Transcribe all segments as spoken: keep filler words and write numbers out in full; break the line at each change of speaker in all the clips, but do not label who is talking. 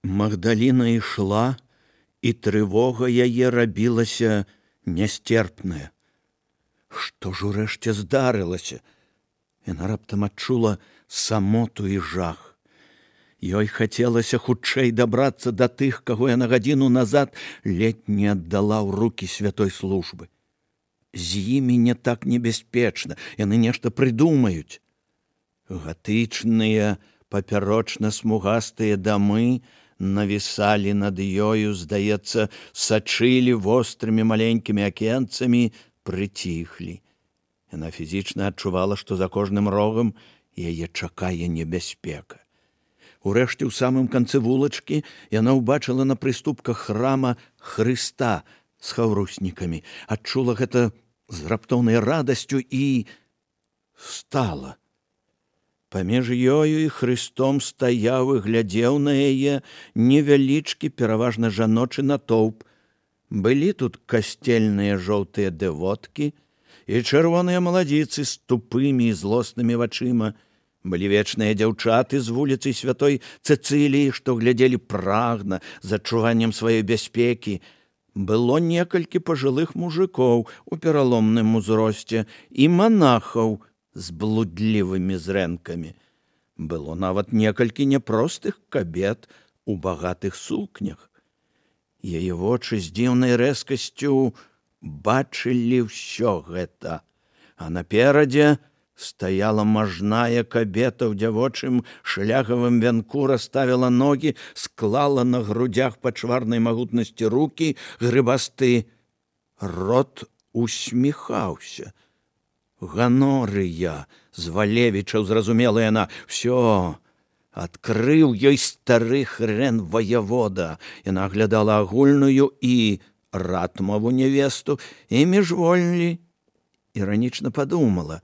Магдаліна ішла, і трывога яе рабілася нястерпная. Што ж урэшце здарылася? Яна раптам адчула самоту і жах. Ёй хацелася хутчэй дабрацца да тых, каго яна гадзіну назад ледзь не аддала ў рукі святой службы. З імі не так небяспечна, яны нешта прыдумаюць. Гатычныя папярочна-смугастыя дамы навісалі над ёю, здаецца, сачылі вострымі маленькімі акенцамі, прыціхлі. Яна фізічна адчувала, што за кожным рогам яе чакае небяспека. Урэшце, ў самым канцы вулачкі яна ўбачыла на прыступках храма Хрыста з хаўруснікамі, адчула гэта з раптоўнай радасцю і стала. Паміж ёю і Хрыстом стаяў і глядзеў на яе невялічкі, пераважна жаночы натоўп. Былі тут касцельныя жоўтыя дэвоткі і чырвоныя маладзіцы з тупымі і злоснымі вачыма. Былі вечныя дзяўчаты з вуліцы святой Цэцыліі, што глядзелі прагна, з адчуваннем сваёй бяспекі. Было некалькі пажылых мужикоў у пераломным узросце і манахаў з блудлівымі зрэнкамі. Было нават некалькі няпростых кабет у багатых сукнях. Яе вочы з дзіўнай рэзкасцю бачылі ўсё гэта, а наперадзе стаяла мажная кабета ў дзявочым шылягавым вянку, расставіла ногі, склала на грудях пачварнай магутнасці рукі, грыбасты рот усміхаўся. Ганорыя з Валевічаў, зразумела яна, всё, адкрыў ёй стары хрен ваявода. Яна аглядала агульную і ратмаву невесту і міжвольні іранічна падумала: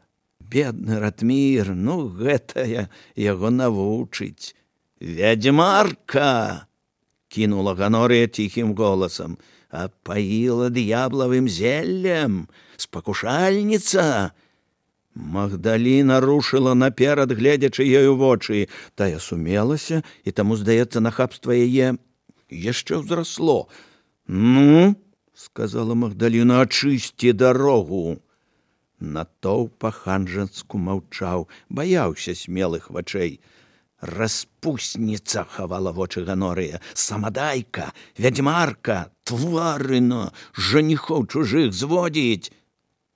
бедны Ратмір, ну гэтая яго навучыць. «Вядзьмарка!» — кінула Ганорыя ціхім голасам. «Апаіла д'яблавым зеллем! Спакушальніца!» Магдаліна рушыла наперад, гледзячы ёй у вочы. Тая сумелася, і таму, здаецца, нахабства яе яшчэ ўзрасло. «Ну, — сказала Магдаліна, — ачысці дарогу!» Натоўп па-ханжацку маўчаў, баяўся смелых вачэй. «Распусніца!» — хавала вочы Ганорыя. «Самадайка! Вядзьмарка! Тварына! Жаніхоў чужых зводзіць!»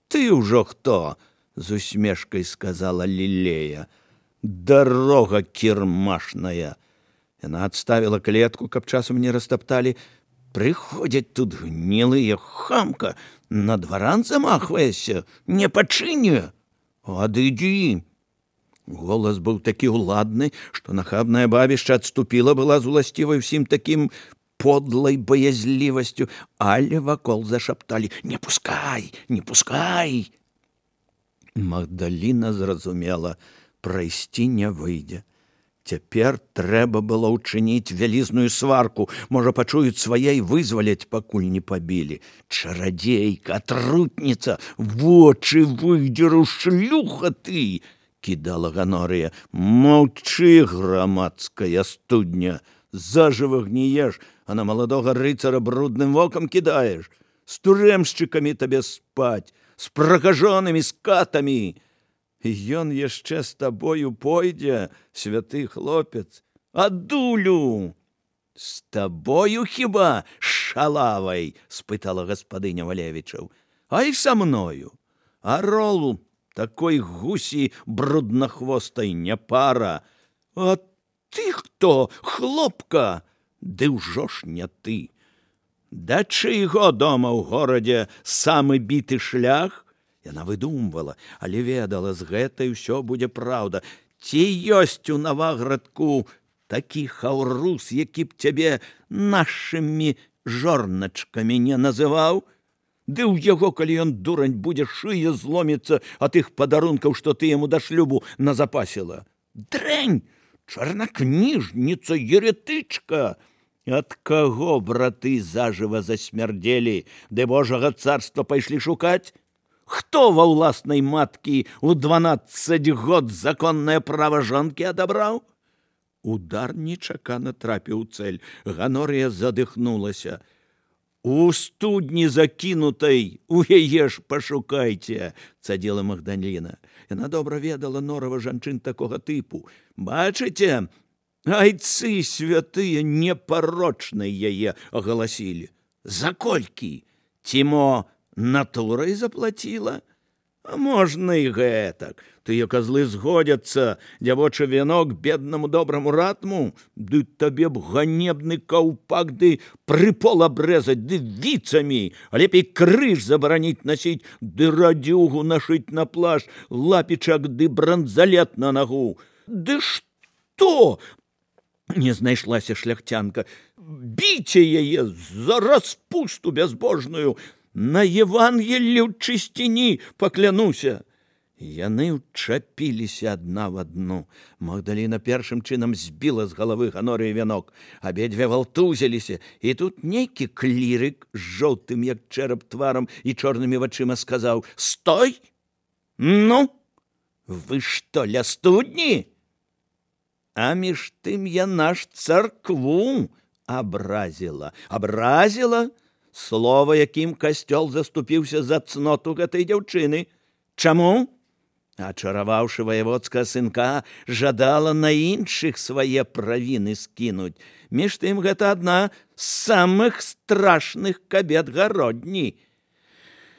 «Ты ўжо хто?» — з усмешкай сказала Лілея. «Дарога кірмашная!» Яна адставіла клетку, каб часам не растапталі. «Прыходзяць тут гнілыя, хамка! На дваран замахваешся, не пачыне! Адыдзі!» Голас быў такі ўладны, што нахабная бабішча адступіла была з уласцівай усім такім подлай баязлівасцю, але вакол зашапталі: «Не пускай, не пускай!» Магдаліна зразумела, прайсці не выйдзе. Цяпер трэба было ўчыніць вялізную сварку. Можа, пачуюць свае і вызваляць, пакуль не пабілі. «Чарадзейка, атрутніца, вочы выдзеру, шлюха ты!» — кідала Ганорыя. «Маўчы, грамадская студня! Зажыва гніеш, а на маладога рыцара брудным вокам кідаеш! З турэмшчыкамі табе спаць, з пракажонымі, з катамі! Ён яшчэ з табою пойдзе, святы хлопец, а дулю!» «З табою хіба, шалавай?» — спытала гаспадыня Валевічаў. «А і са мною. Аролу такой гусі бруднахвостай не пара. А ты хто, хлопка?» «Ды ўжо ж не ты. Да чыйго дома ў горадзе самы біты шлях?» Яна выдумвала, але ведала, з гэтай усё будзе праўда. «Ці ёсць у Наваградку такі хаўрус, які б цябе нашымі жорначкамі не называў? Ды ў яго, калі ён дурань, будзе, шыя зломіцца ад тых падарункаў, што ты яму да шлюбу назапасіла. Дрэнь! Чарнакніжніца, еретычка! Ад каго браты зажыва засмярдзелі, ды Божага царства пайшлі шукаць? Хто ва ўласнай маткі ў дванаццаць год законнае права жонкі адабраў? Удар нечакана трапіў у цэль. Ганорыя задыхнулася. «У студні закінутай, у яе ж пашукайце», – цадзіла Магдаліна. Яна добра ведала норава жанчын такога тыпу. «Бачыце? Айцы святыя непарочнай яе агаласілі. За колькі? Ці мо натурай заплаціла? А можна і гэтак. Тыя козлы згодзяцца, дзявочы вянок беднаму добраму ратму, ды табе б ганебны каўпак, ды прыпол абрэзаць, ды віцамі, а лепей крыж забараніць насіць, ды радзюгу нашыць на плашч, лапічак ды бранзалет на нагу. Ды што? Не знайшлася шляхцянка. Біце яе за распусту бязбожную, на Евангеллю чысціні паклянуся. Яны ўчапіліся адна в адну. Магдаліна першым чынам збіла з галавы Ганорыі вянок. Абедзве валтузіліся, і тут нейкі клірык з жоўтым, як чэрап тварам і чорнымі вачыма сказаў: «Стой! Ну, вы што, ля студні?» А між тым яна ж царкву абразіла. Абразіла? Слова, якім касцёл заступіўся за цноту гэтай дзяўчыны. Чаму? Ачараваўшы ваяводскага сынка, жадала на іншых свае правіны скінуць. Між тым гэта адна з самых страшных кабет гародні.